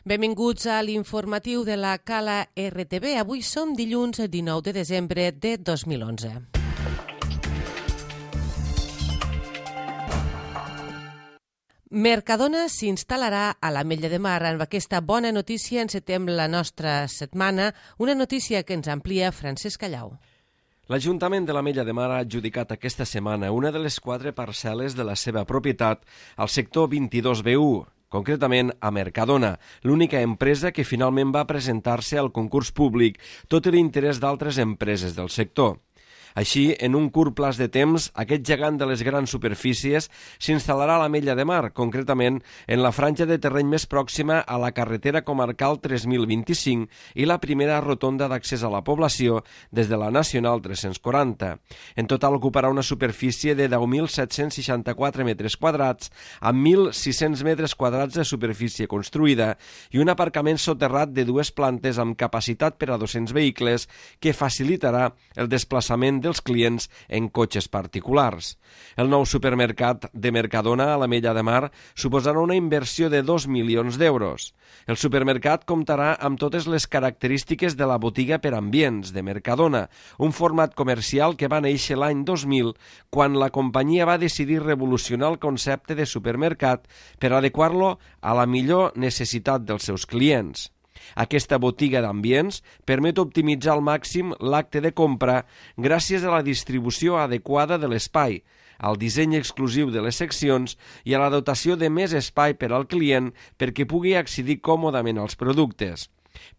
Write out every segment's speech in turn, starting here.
Benvinguts a l'informatiu de la Cala RTV. Avui som dilluns 19 de desembre de 2011. Mercadona s'instal·larà a l'Ametlla de Mar. Amb aquesta bona notícia encetem la nostra setmana, una notícia que ens amplia Francesc Callau. L'Ajuntament de l'Ametlla de Mar ha adjudicat aquesta setmana una de les 4 parcel·les de la seva propietat al sector 22B1, concretament a Mercadona, l'única empresa que finalment va presentar-se al concurs públic, tot i l'interès d'altres empreses del sector. Així, en un curt plaç de temps, aquest gegant de les grans superfícies s'instal·larà a l'Ametlla de Mar, concretament en la franja de terreny més pròxima a la carretera comarcal 3025 i la primera rotonda d'accés a la població des de la Nacional 340. En total ocuparà una superfície de 10.764 metres quadrats, amb 1.600 metres quadrats de superfície construïda i un aparcament soterrat de 2 plantes amb capacitat per a 200 vehicles que facilitarà el desplaçament dels clients en cotxes particulars. El nou supermercat de Mercadona a l'Ametlla de Mar suposarà una inversió de 2 milions d'euros. El supermercat comptarà amb totes les característiques de la botiga per ambients de Mercadona, un format comercial que va néixer l'any 2000 quan la companyia va decidir revolucionar el concepte de supermercat per adequar-lo a la millor necessitat dels seus clients. Aquesta botiga d'ambients permet optimitzar al màxim l'acte de compra gràcies a la distribució adequada de l'espai, al disseny exclusiu de les seccions i a la dotació de més espai per al client perquè pugui accedir còmodament als productes.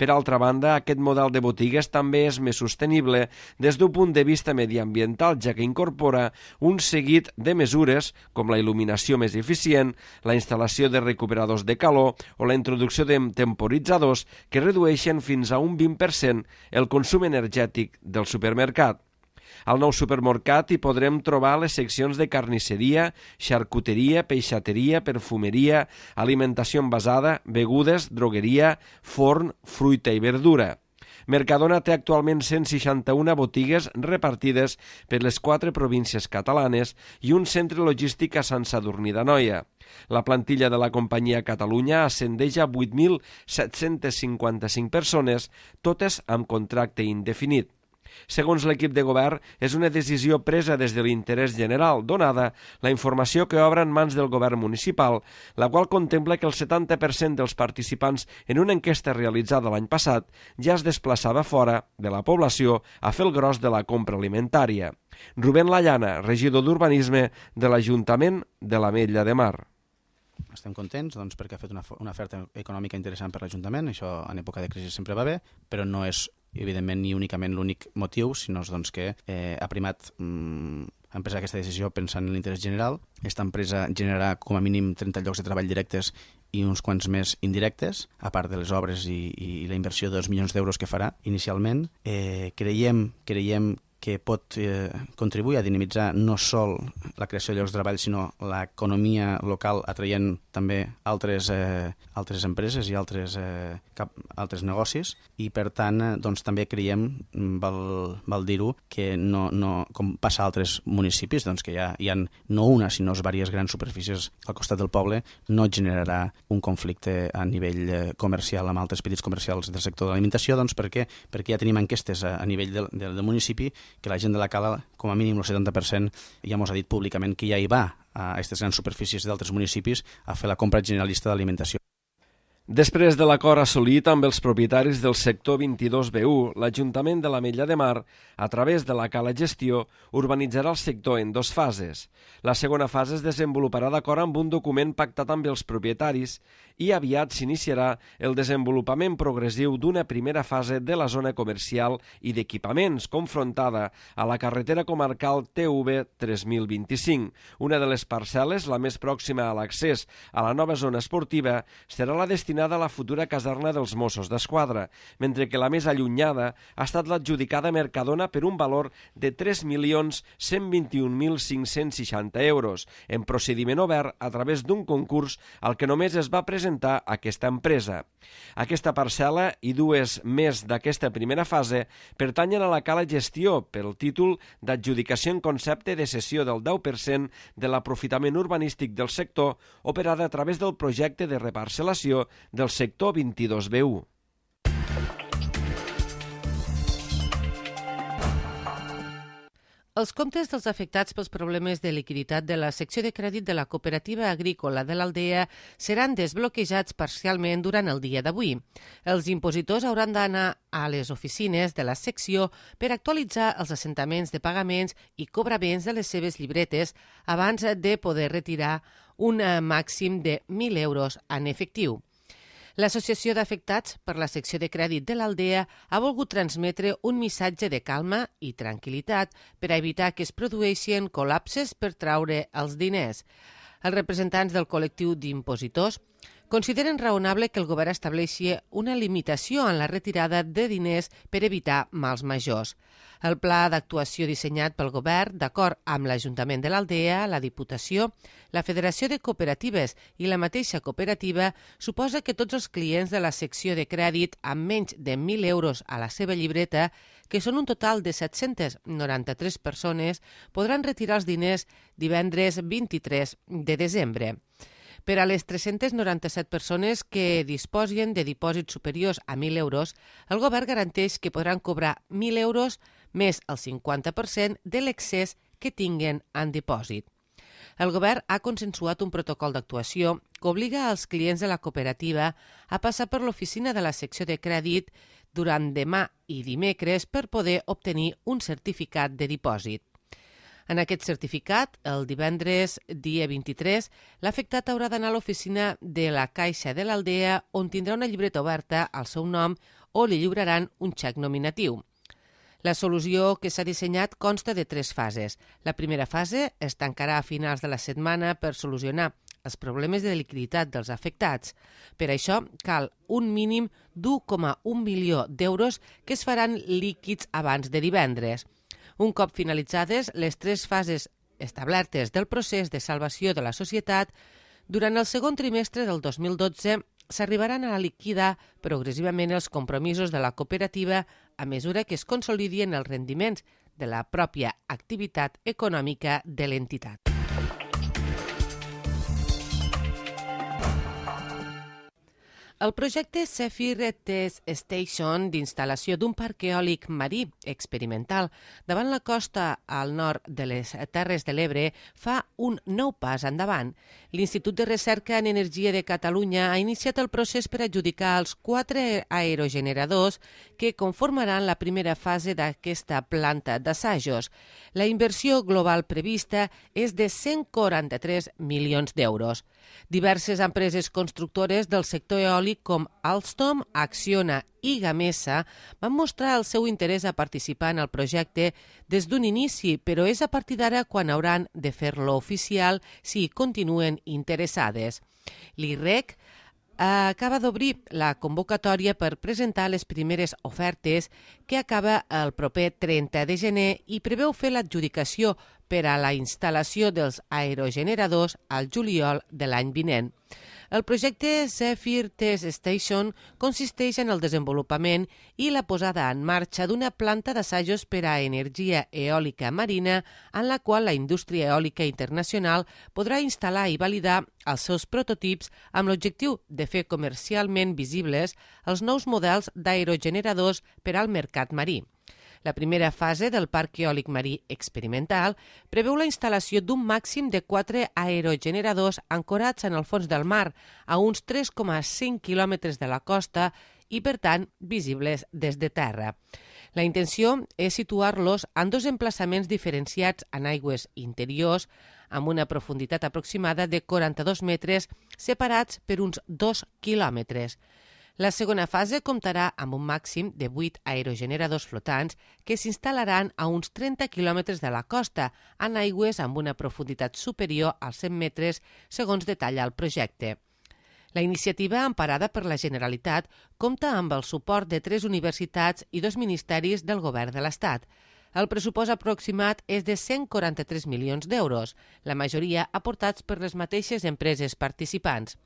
Per altra banda, aquest model de botigues també és més sostenible des d'un punt de vista mediambiental, ja que incorpora un seguit de mesures com la il·luminació més eficient, la instal·lació de recuperadors de calor o la introducció de temporitzadors que redueixen fins a un 20% el consum energètic del supermercat. Al nou supermercat hi podrem trobar les seccions de carnisseria, xarcuteria, peixateria, perfumeria, alimentació envasada, begudes, drogueria, forn, fruita i verdura. Mercadona té actualment 161 botigues repartides per les 4 províncies catalanes i un centre logístic a Sant Sadurní d'Anoia. La plantilla de la companyia a Catalunya ascendeix a 8.755 persones, totes amb contracte indefinit. Segons l'equip de govern, és una decisió presa des de l'interès general, donada la informació que obre en mans del govern municipal, la qual contempla que el 70% dels participants en una enquesta realitzada l'any passat ja es desplaçava fora de la població a fer el gros de la compra alimentària. Rubén Lallana, regidor d'Urbanisme de l'Ajuntament de l'Ametlla de Mar. Estem contents perquè ha fet una oferta econòmica interessant per l'Ajuntament, això en època de crisi sempre va bé, però no és evidentment ni únicament l'únic motiu, sinó que ha primat empresa aquesta decisió pensant en l'interès general. Aquesta empresa generarà com a mínim 30 llocs de treball directes i uns quants més indirectes, a part de les obres i la inversió de 2 milions d'euros que farà inicialment. Creiem que pot contribuir a dinamitzar no sol la creació de llocs de treball, sinó l'economia local, atraient també altres empreses i altres negocis, i per tant també creiem, val dir-ho, que no, com passa a altres municipis, que hi ha no una sinó diverses grans superfícies al costat del poble, no generarà un conflicte a nivell comercial amb altres petits comercials del sector de l'alimentació, perquè ja tenim enquestes a nivell del municipi que la gent de la Cala, com a mínim el 70%, ja mos ha dit públicament que ja hi va a aquestes grans superfícies d'altres municipis a fer la compra generalista d'alimentació. Després de l'acord assolit amb els propietaris del sector 22B1, l'Ajuntament de l'Ametlla de Mar, a través de la Cala Gestió, urbanitzarà el sector en 2 fases. La segona fase es desenvoluparà d'acord amb un document pactat amb els propietaris i aviat s'iniciarà el desenvolupament progressiu d'una primera fase de la zona comercial i d'equipaments confrontada a la carretera comarcal TV 3025. Una de les parcel·les, la més pròxima a l'accés a la nova zona esportiva, serà la destinada a la futura caserna dels Mossos d'Esquadra, mentre que la més allunyada ha estat l'adjudicada a Mercadona per un valor de 3.121.560 euros, en procediment obert a través d'un concurs al que només es va presentar aquesta empresa. Aquesta parcel·la i 2 més d'aquesta primera fase pertanyen a la Cala Gestió pel títol d'adjudicació en concepte de cessió del 10% de l'aprofitament urbanístic del sector operada a través del projecte de reparcel·lació del sector 22B1. Els comptes dels afectats pels problemes de liquiditat de la secció de crèdit de la cooperativa agrícola de l'Aldea seran desbloquejats parcialment durant el dia d'avui. Els impositors hauran d'anar a les oficines de la secció per actualitzar els assentaments de pagaments i cobraments de les seves llibretes abans de poder retirar un màxim de 1.000 euros en efectiu. L'Associació d'Afectats per la secció de crèdit de l'Aldea ha volgut transmetre un missatge de calma i tranquil·litat per a evitar que es produeixin col·lapses per traure els diners. Els representants del col·lectiu d'impositors consideren raonable que el govern estableixi una limitació en la retirada de diners per evitar mals majors. El pla d'actuació dissenyat pel govern, d'acord amb l'Ajuntament de l'Aldea, la Diputació, la Federació de Cooperatives i la mateixa cooperativa, suposa que tots els clients de la secció de crèdit amb menys de 1.000 euros a la seva llibreta, que són un total de 793 persones, podran retirar els diners divendres 23 de desembre. Per a les 397 persones que disposin de dipòsits superiors a 1.000 euros, el govern garanteix que podran cobrar 1.000 euros més el 50% de l'excés que tinguen en dipòsit. El govern ha consensuat un protocol d'actuació que obliga als clients de la cooperativa a passar per l'oficina de la secció de crèdit durant demà i dimecres per poder obtenir un certificat de dipòsit. En aquest certificat, el divendres, dia 23, l'afectat haurà d'anar a l'oficina de la Caixa de l'Aldea on tindrà una llibreta oberta al seu nom o li lliuraran un xec nominatiu. La solució que s'ha dissenyat consta de 3 fases. La primera fase es tancarà a finals de la setmana per solucionar els problemes de liquiditat dels afectats. Per això cal un mínim d'1,1 milió d'euros que es faran líquids abans de divendres. Un cop finalitzades les 3 fases establertes del procés de salvació de la societat, durant el segon trimestre del 2012 s'arribaran a liquidar progressivament els compromisos de la cooperativa a mesura que es consolidien els rendiments de la pròpia activitat econòmica de l'entitat. El projecte Zephyr Test Station d'instal·lació d'un parc eòlic marí experimental davant la costa al nord de les Terres de l'Ebre fa un nou pas endavant. L'Institut de Recerca en Energia de Catalunya ha iniciat el procés per adjudicar els 4 aerogeneradors que conformaran la primera fase d'aquesta planta d'assajos. La inversió global prevista és de 143 milions d'euros. Diverses empreses constructores del sector eòlic com Alstom, Acciona i Gamesa van mostrar el seu interès a participar en el projecte des d'un inici, però és a partir d'ara quan hauran de fer-lo oficial si hi continuen interessades. L'IREC acaba d'obrir la convocatòria per presentar les primeres ofertes que acaba el proper 30 de gener i preveu fer l'adjudicació per a la instal·lació dels aerogeneradors al juliol de l'any vinent. El projecte Zephyr Test Station consisteix en el desenvolupament i la posada en marxa d'una planta d'assajos per a energia eòlica marina en la qual la indústria eòlica internacional podrà instal·lar i validar els seus prototips amb l'objectiu de fer comercialment visibles els nous models d'aerogeneradors per al mercat marí. La primera fase del parc eòlic marí experimental preveu la instal·lació d'un màxim de 4 aerogeneradors ancorats en el fons del mar, a uns 3,5 quilòmetres de la costa i, per tant, visibles des de terra. La intenció és situar-los en 2 emplaçaments diferenciats en aigües interiors, amb una profunditat aproximada de 42 metres, separats per uns 2 quilòmetres. La segona fase comptarà amb un màxim de 8 aerogeneradors flotants que s'instal·laran a uns 30 quilòmetres de la costa, en aigües amb una profunditat superior als 100 metres, segons detalla el projecte. La iniciativa, emparada per la Generalitat, compta amb el suport de 3 universitats i 2 ministeris del Govern de l'Estat. El pressupost aproximat és de 143 milions d'euros, la majoria aportats per les mateixes empreses participants.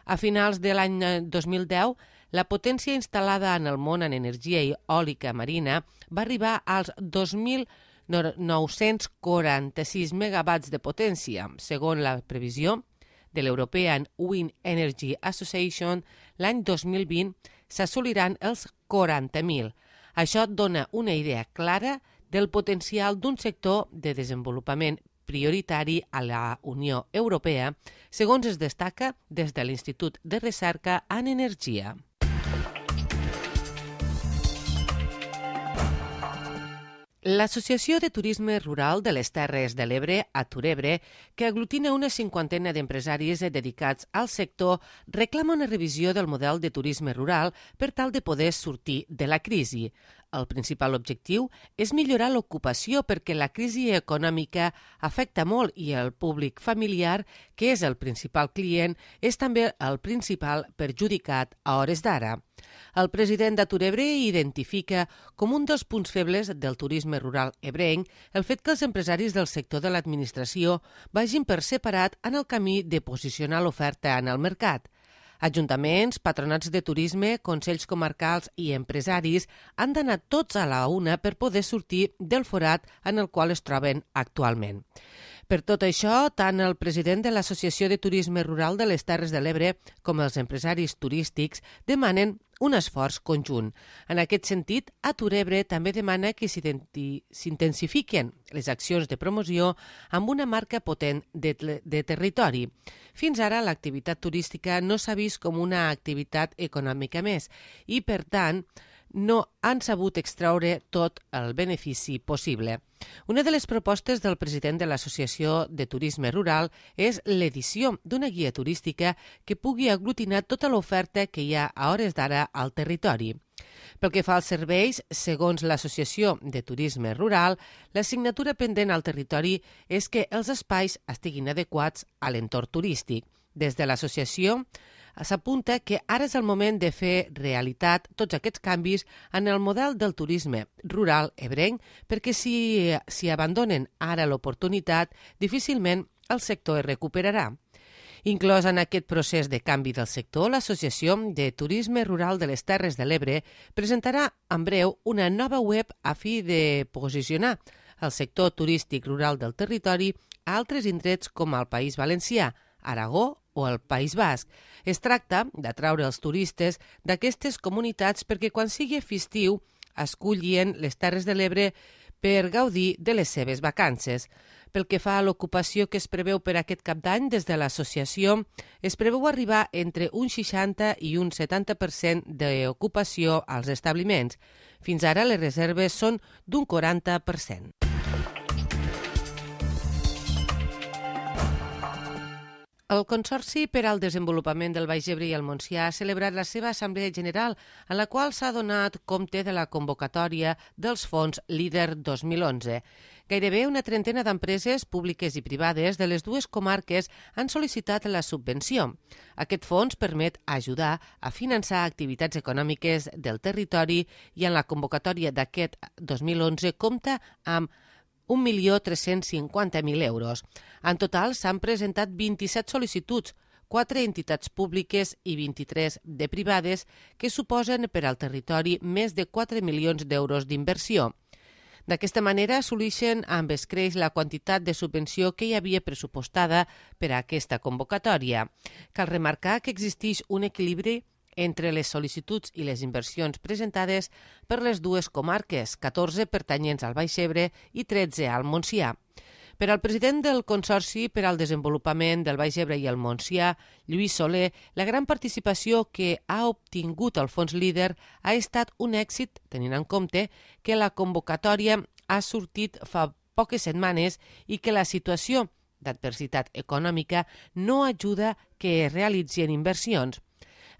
A finals de l'any 2010, la potència instal·lada en el món en energia eòlica marina va arribar als 2.946 megawatts de potència, segons la previsió de l'European Wind Energy Association, l'any 2020 s'assoliran els 40.000. Això dona una idea clara del potencial d'un sector de desenvolupament prioritari a la Unió Europea, segons es destaca des de l'Institut de Recerca en Energia. L'Associació de Turisme Rural de les Terres de l'Ebre, Aturebre, que aglutina una 50 d'empresaris dedicats al sector, reclama una revisió del model de turisme rural per tal de poder sortir de la crisi. El principal objectiu és millorar l'ocupació perquè la crisi econòmica afecta molt i el públic familiar, que és el principal client, és també el principal perjudicat a hores d'ara. El president d'Aturebre identifica com un dels punts febles del turisme rural ebrenc el fet que els empresaris del sector de l'administració vagin per separat en el camí de posicionar l'oferta en el mercat. Ajuntaments, patronats de turisme, consells comarcals i empresaris han d'anar tots a la una per poder sortir del forat en el qual es troben actualment. Per tot això, tant el president de l'Associació de Turisme Rural de les Terres de l'Ebre com els empresaris turístics demanen un esforç conjunt. En aquest sentit, Aturebre també demana que s'intensifiquen les accions de promoció amb una marca potent de territori. Fins ara, l'activitat turística no s'ha vist com una activitat econòmica més i, per tant, no han sabut extraure tot el benefici possible. Una de les propostes del president de l'Associació de Turisme Rural és l'edició d'una guia turística que pugui aglutinar tota l'oferta que hi ha a hores d'ara al territori. Pel que fa als serveis, segons l'Associació de Turisme Rural, l'assignatura pendent al territori és que els espais estiguin adequats a l'entorn turístic. Des de l'associació s'apunta que ara és el moment de fer realitat tots aquests canvis en el model del turisme rural ebrenc, perquè si abandonen ara l'oportunitat, difícilment el sector es recuperarà. Inclòs en aquest procés de canvi del sector, l'Associació de Turisme Rural de les Terres de l'Ebre presentarà en breu una nova web a fi de posicionar el sector turístic rural del territori a altres indrets com el País Valencià, Aragó o el País Basc. Es tracta d'atraure els turistes d'aquestes comunitats perquè quan sigui festiu escollien les Terres de l'Ebre per gaudir de les seves vacances. Pel que fa a l'ocupació que es preveu per aquest cap d'any, des de l'associació es preveu arribar entre un 60 i un 70% d'ocupació als establiments. Fins ara les reserves són d'un 40%. El Consorci per al Desenvolupament del Baix Ebre i el Montsià ha celebrat la seva Assemblea General, en la qual s'ha donat compte de la convocatòria dels fons LEADER 2011. Gairebé una trentena d'empreses públiques i privades de les dues comarques han sol·licitat la subvenció. Aquest fons permet ajudar a finançar activitats econòmiques del territori i en la convocatòria d'aquest 2011 compta amb 1.350.000 euros. En total s'han presentat 27 sol·licituds, 4 entitats públiques i 23 de privades, que suposen per al territori més de 4 milions d'euros d'inversió. D'aquesta manera assoleixen amb escreix la quantitat de subvenció que hi havia pressupostada per a aquesta convocatòria. Cal remarcar que existeix un equilibri entre les sol·licituds i les inversions presentades per les dues comarques, 14 pertanyents al Baix Ebre i 13 al Montsià. Per al president del Consorci per al Desenvolupament del Baix Ebre i el Montsià, Lluís Soler, la gran participació que ha obtingut el fons LEADER ha estat un èxit, tenint en compte que la convocatòria ha sortit fa poques setmanes i que la situació d'adversitat econòmica no ajuda que es realitzin inversions.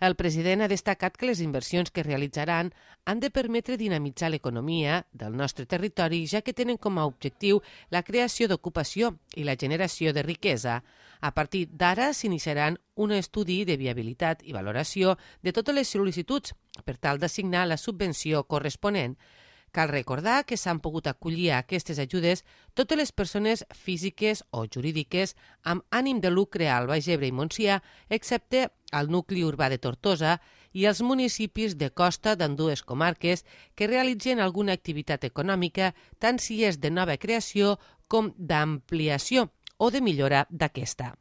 El president ha destacat que les inversions que realitzaran han de permetre dinamitzar l'economia del nostre territori, ja que tenen com a objectiu la creació d'ocupació i la generació de riquesa. A partir d'ara s'iniciaran un estudi de viabilitat i valoració de totes les sol·licituds per tal d'assignar la subvenció corresponent. Cal recordar que s'han pogut acollir a aquestes ajudes totes les persones físiques o jurídiques amb ànim de lucre al Baix Ebre i Montsià, excepte al nucli urbà de Tortosa i els municipis de costa d'ambdues comarques que realitzen alguna activitat econòmica, tant si és de nova creació com d'ampliació o de millora d'aquesta.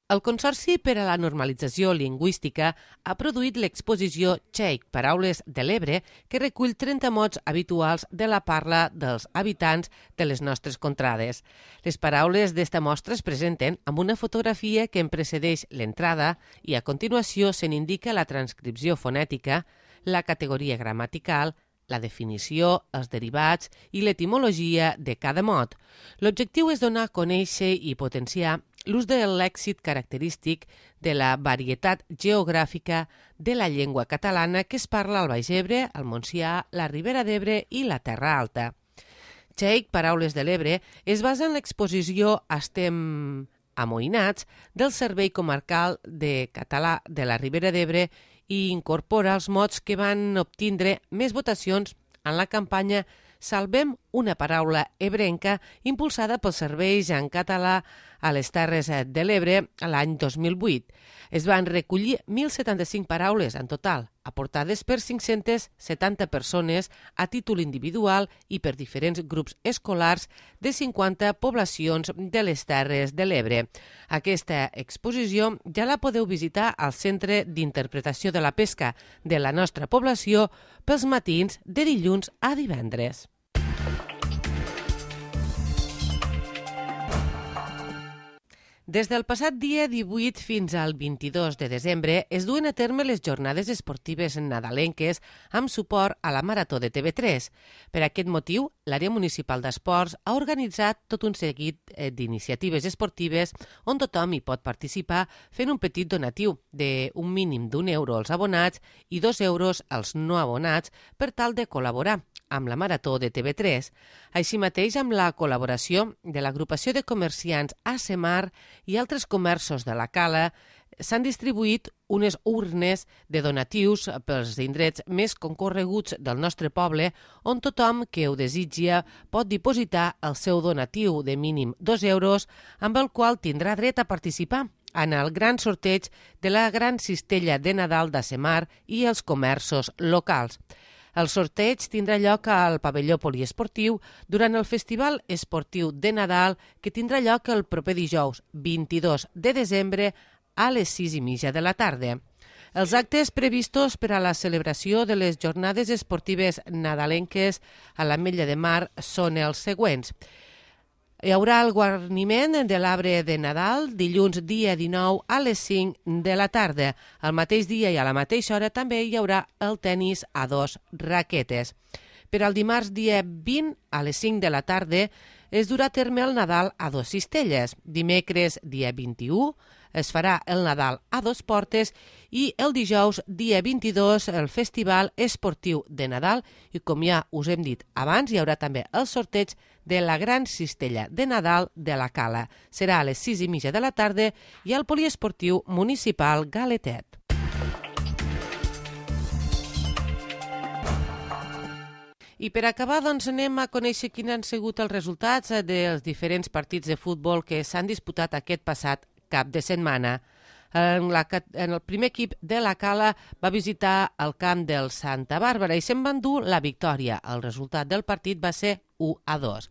El Consorci per a la Normalització Lingüística ha produït l'exposició Txèic, Paraules de l'Ebre, que recull 30 mots habituals de la parla dels habitants de les nostres contrades. Les paraules d'esta mostra es presenten amb una fotografia que en precedeix l'entrada i a continuació se n'indica la transcripció fonètica, la categoria gramatical, la definició, els derivats i l'etimologia de cada mot. L'objectiu és donar a conèixer i potenciar l'ús del lèxic característic de la varietat geogràfica de la llengua catalana que es parla al Baix Ebre, al Montsià, la Ribera d'Ebre i la Terra Alta. Txèic, Paraules de l'Ebre, es basa en l'exposició Estem amoïnats del Servei Comarcal de Català de la Ribera d'Ebre i incorpora els mots que van obtindre més votacions en la campanya Salvem una paraula ebrenca impulsada pels serveis en català a les Terres de l'Ebre l'any 2008. Es van recollir 1.075 paraules en total, aportades per 570 persones a títol individual i per diferents grups escolars de 50 poblacions de les Terres de l'Ebre. Aquesta exposició ja la podeu visitar al Centre d'Interpretació de la Pesca de la nostra població pels matins de dilluns a divendres. Des del passat dia 18 fins al 22 de desembre es duen a terme les jornades esportives nadalenques amb suport a la Marató de TV3. Per aquest motiu, l'àrea municipal d'esports ha organitzat tot un seguit d'iniciatives esportives on tothom hi pot participar fent un petit donatiu d'un mínim d'€1 als abonats i €2 als no abonats per tal de col·laborar amb la Marató de TV3. Així mateix, amb la col·laboració de l'agrupació de comerciants ASEMAR i altres comerços de la Cala, s'han distribuït unes urnes de donatius pels indrets més concorreguts del nostre poble, on tothom que ho desitja pot dipositar el seu donatiu de mínim €2, amb el qual tindrà dret a participar en el gran sorteig de la gran cistella de Nadal d'ASEMAR i els comerços locals. El sorteig tindrà lloc al pavelló poliesportiu durant el Festival Esportiu de Nadal que tindrà lloc el proper dijous 22 de desembre a les 6:30 de la tarda. Els actes previstos per a la celebració de les jornades esportives nadalenques a l'Ametlla de Mar són els següents. Hi haurà el guarniment de l'arbre de Nadal dilluns dia 19 a les 5 de la tarda. Al mateix dia i a la mateixa hora també hi haurà el tennis a 2 raquetes. Per al dimarts dia 20 a les 5 de la tarda es durà a terme el Nadal a 2 cistelles. Dimecres dia 21 es farà el Nadal a 2 portes i el dijous dia 22 el Festival Esportiu de Nadal i com ja us hem dit abans hi haurà també el sorteig de la gran cistella de Nadal de la Cala. Serà a les 6:30 de la tarda i al poliesportiu municipal Galetet. I per acabar, doncs, anem a conèixer quins han sigut els resultats dels diferents partits de futbol que s'han disputat aquest passat cap de setmana. El primer equip de la Cala va visitar el camp del Santa Bàrbara i se'n va endur la victòria. El resultat del partit va ser 1-2.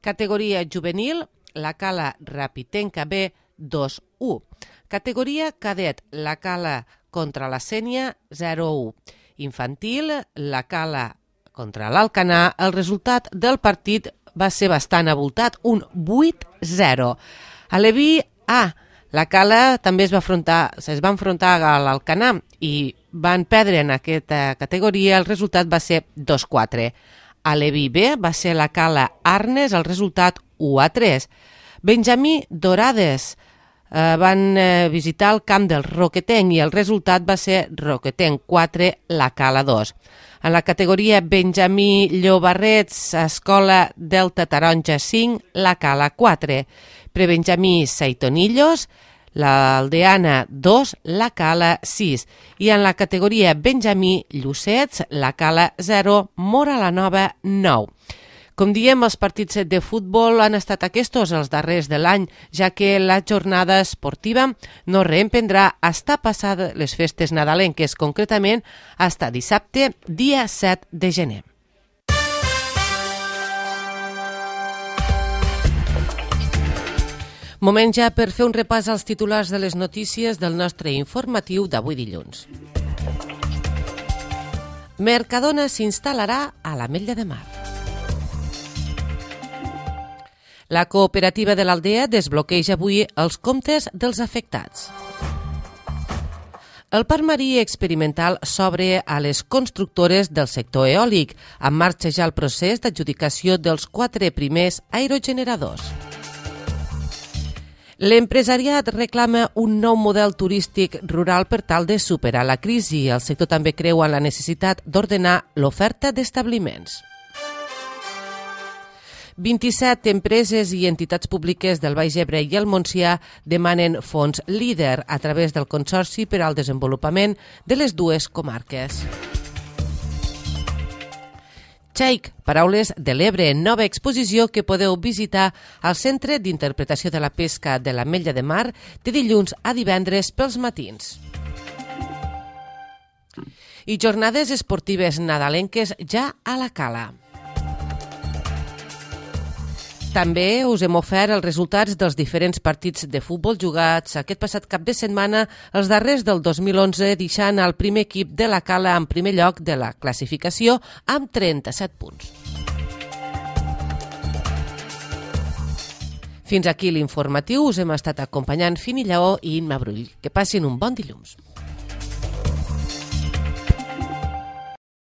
Categoria juvenil, la Cala Rapitenca B 2-1. Categoria cadet, la Cala contra la Sénia 0-1. Infantil, la Cala contra l'Alcanar. El resultat del partit va ser bastant abultat, un 8-0. A l'Eví A, la Cala també es va enfrontar a l'Alcanar i van perdre en aquesta categoria. El resultat va ser 2-4. A l'Eví B va ser la Cala Arnes, el resultat 1-3. Benjamí Dorades van visitar el camp del Roquetenc i el resultat va ser Roquetenc 4, la Cala 2. En la categoria Benjamí Llobarrets, Escola Delta Taronja 5, la Cala 4. Prebenjamí Saitonillos, l'Aldeana 2, la Cala 6. I en la categoria Benjamí Llucets, la Cala 0, Mora la Nova 9. Com diem, els partits de futbol han estat aquests els darrers de l'any, ja que la jornada esportiva no reemprendrà fins passar les festes nadalenques, concretament fins dissabte, dia 7 de gener. Moment ja per fer un repàs als titulars de les notícies del nostre informatiu d'avui dilluns. Mercadona s'instal·larà a l'Ametlla de Mar. La cooperativa de l'Aldea desbloqueja avui els comptes dels afectats. El parc marí experimental s'obre a les constructores del sector eòlic, en marxa ja el procés d'adjudicació dels 4 primers aerogeneradors. L'empresariat reclama un nou model turístic rural per tal de superar la crisi. El sector també creu en la necessitat d'ordenar l'oferta d'establiments. 27 empreses i entitats públiques del Baix Ebre i el Montsià demanen fons líder a través del Consorci per al Desenvolupament de les dues comarques. Xaic, Paraules de l'Ebre, nova exposició que podeu visitar al Centre d'Interpretació de la Pesca de l'Ametlla de Mar de dilluns a divendres pels matins. I jornades esportives nadalenques ja a la Cala. També us hem ofert els resultats dels diferents partits de futbol jugats aquest passat cap de setmana, els darrers del 2011, deixant el primer equip de la Cala en primer lloc de la classificació amb 37 punts. Fins aquí l'informatiu. Us hem estat acompanyant Fini Lleó i Imma Brull. Que passin un bon dilluns.